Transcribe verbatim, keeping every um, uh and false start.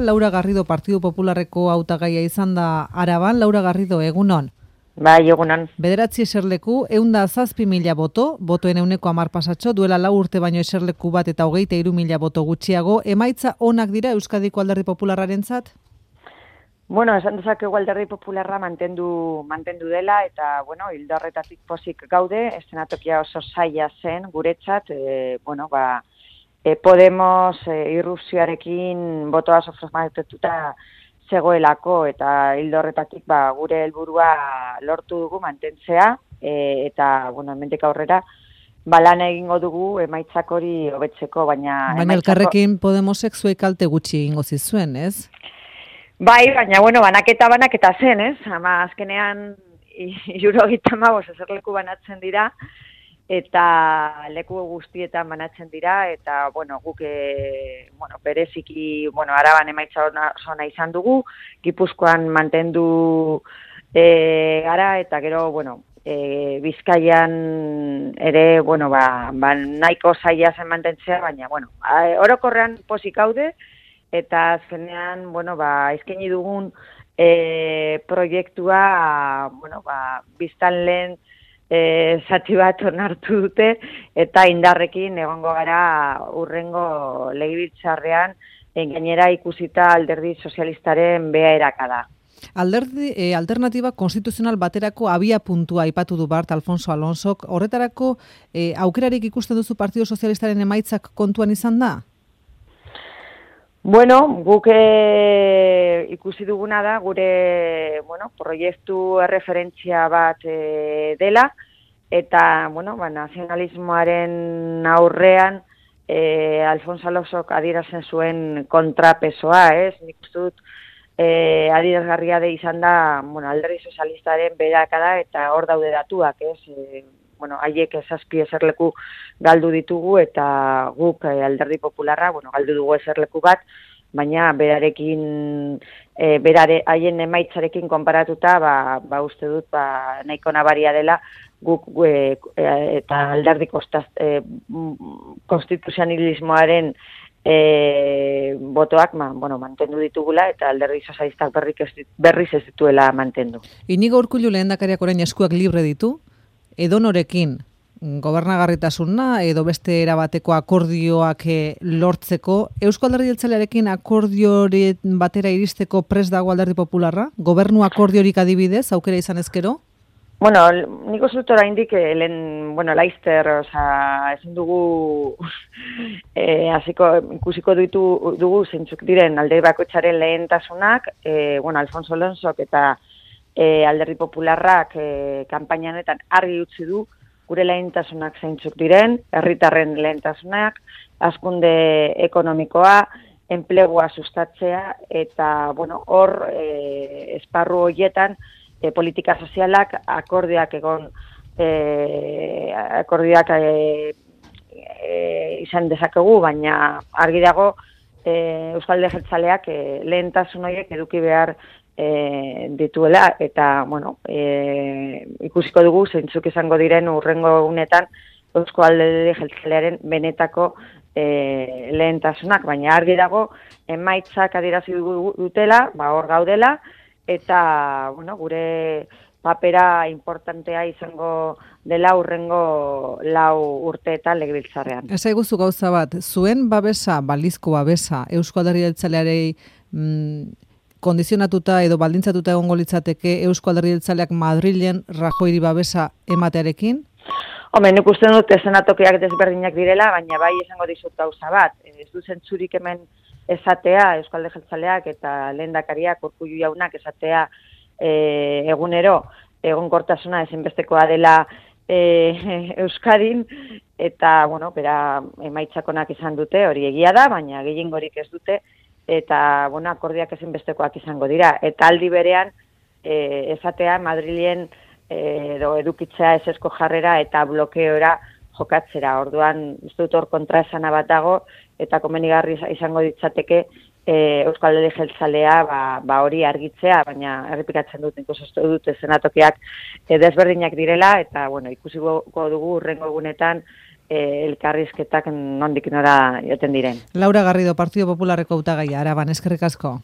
Laura Garrido Partidu Popularreko hautagaia izan da Araban. Laura Garrido, egunon. Bai, egunon. Bederatzi eserleku, ehunda zazpi mila boto, botoen ehuneko hamar pasatxo, duela lau urte baino eserleku bat eta hogeita hiru mila boto gutxiago. Emaitza onak dira Euskadiko Alderdi Popularrarentzat? Bueno, esan dezakegu Alderdi Popularra mantendu mantendu dela eta bueno, ildo horretatik pozik gaude, eszenatokia oso zaila zen guretzat, e, bueno, ba e, Podemos e, irrupzioarekin botoa soframatetuta zegoelako eta ildo horretatik ba, gure helburua lortu dugu mantentzea e, eta bueno, hemendik aurrera ba, lan egingo dugu emaitzak hori hobetzeko, baina baina Elkarrekin Podemosek zuek kalte gutxi egingo zizuen, ez? Bai, baina, bueno, banaketa banaketa zen, ez? Ama, azkenean, hirurogeita hamabost eserleku banatzen dira, eta leku guztietan banatzen dira, eta, bueno, guk, e, bueno, bereziki, bueno, Araban emaitza ona izan dugu, Gipuzkoan mantendu e, gara, eta gero, bueno, e, Bizkaian ere, bueno, ba, ba nahiko zaila zen mantentzea, baina, bueno, orokorrean pozik gaude, eta azkenean, bueno, ba, eskaini dugun e, proiektua, bueno, ba, biztan lehen e, zati bat onartu dute, eta indarrekin egongo gara urrengo legebiltzarrean, gainera ikusita Alderdi Sozialistaren beherakada da. Alderdi e, alternatiba konstituzional baterako abia puntua aipatu du Bart Alfonso Alonsok, horretarako e, aukerarik ikusten duzu Partido Sozialistaren emaitzak kontuan izan da? Bueno, guk e, ikusi duguna da, gure bueno, proiektu erreferentzia bat e, dela, eta bueno, ba, nazionalismoaren aurrean e, Alfonso Alonsok adierazten zuen kontrapesoa, ez? Nik uste dut e, adierazgarria de izan da bueno, Alderdi Sozialistaren beherakada eta hor daude datuak, ez? E, bueno, haiek zazpi eserleku galdu ditugu eta guk eh, Alderdi Popularra, bueno, galdu dugu eserleku bat, baina berarekin, e, berare, haien emaitzarekin konparatuta, ba, ba uste dut, ba, nahiko nabaria dela, guk e, eta Alderdi e, konstituzionalismoaren e, botoak ma, bueno, mantendu ditugula eta Alderdi Sozialistak berriz ez dituela mantendu. Inigo Urkullu lehendakariak orain eskuak libre ditu? Edonorekin gobernagarritasuna edo beste erabateko akordioak lortzeko, Eusko Alderdi Jeltzalearekin akordiori batera iristeko prest dago Alderdi Popularra? Gobernu akordiorik adibidez, aukera izan ezkero? Bueno, nik uste dut oraindik lehen, bueno, laizter, oza, ezin dugu e, hasiko ikusiko ditu dugu zeintzuk diren alde bakoitzaren lehentasunak, e, bueno, Alfonso Alonsok eta E, Alderdi Popularrak e, kanpaina honetan argi utzi du gure lehentasunak zeintzuk diren, herritarren lehentasunak, hazkunde ekonomikoa, enplegua sustatzea eta bueno, hor e, esparru horietan e, politika sozialak akordioak egon e, akordioak e, e, izan dezakegu, baina argi dago e, Euskal Alderdi Jeltzaleak e, lehentasun horiek eduki behar E, dituela eta bueno, e, ikusiko dugu zeintzuk izango diren urrengo egunetan Eusko Alderdi Jeltzalearen benetako e, lehentasunak, baina argi dago emaitzak adierazi dutela, ba hor gaudela eta bueno, gure papera importantea izango dela urrengo lau urteetan legebiltzarrean. Ez aiguzu gauza bat, zuen babesa, balizko babesa Eusko Alderdi Jeltzalearei mm, kondizionatuta edo baldintzatuta egongo litzateke Eusko Alderdi Jeltzaleak Madrilen Rajoyri babesa ematearekin? Hombre, nik uste dut eszenatokiak desberdinak direla, baina bai esango dizut gauza bat. Ez du zentzurik hemen esatea Eusko Alderdi Jeltzaleak eta lehendakariak Urkullu jaunak esatea e, egunero egonkortasuna ezinbestekoa dela e, Euskadin eta bueno, bera emaitzakonak izan dute, hori egia da, baina gehiengorik ez dute. Eta bueno, akordiak ezinbestekoak izango dira. Eta aldi berean, e, esatea Madrilen e, edo edukitzea esesko jarrera eta blokeora jokatzera. Orduan, uste dut hor kontraesana bat dago, eta komenigarri izango ditzateke e, Euskal Alderdi Jeltzalea ba, ba hori argitzea, baina errepikatzen dut, nik uste dut eszenatokiak e, desberdinak direla, eta bueno, ikusiko dugu urrengo egunetan e, elkarrizketak nondik nora joten diren. Laura Garrido, Partido Popularreko hautagaia, Araban, eskerrik asko.